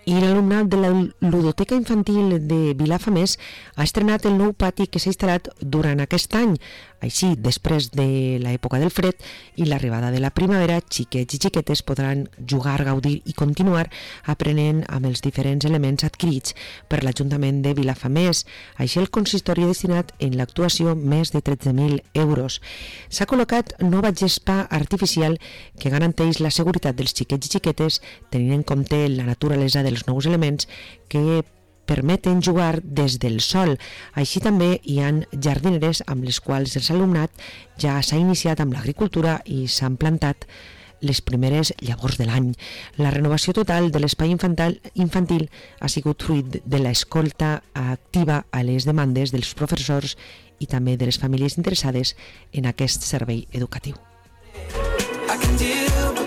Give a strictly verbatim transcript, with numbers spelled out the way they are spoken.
I l'alumnat de la Ludoteca Infantil de Vilafamés ha estrenat el nou pati que s'ha instal·lat durant aquest any. Així, després de l'època del fred i l'arribada de la primavera, xiquets i xiquetes podran jugar, gaudir i continuar aprenent amb els diferents elements adquirits per l'Ajuntament de Vilafamés. Així, el consistori ha destinat en l'actuació més de tretze mil euros. S'ha col·locat nova gespa artificial que garanteix la seguretat dels xiquets i xiquetes, tenint en compte la naturalesa dels nous elements que permeten jugar des del sol. Així també hi ha jardineres amb les quals el alumnat ja s'ha iniciat amb l'agricultura i s'han plantat les primeres llavors de l'any. La renovació total de l'espai infantil, infantil ha sigut fruit de l'escolta activa a les demandes dels professors i també de les famílies interessades en aquest servei educatiu. I can do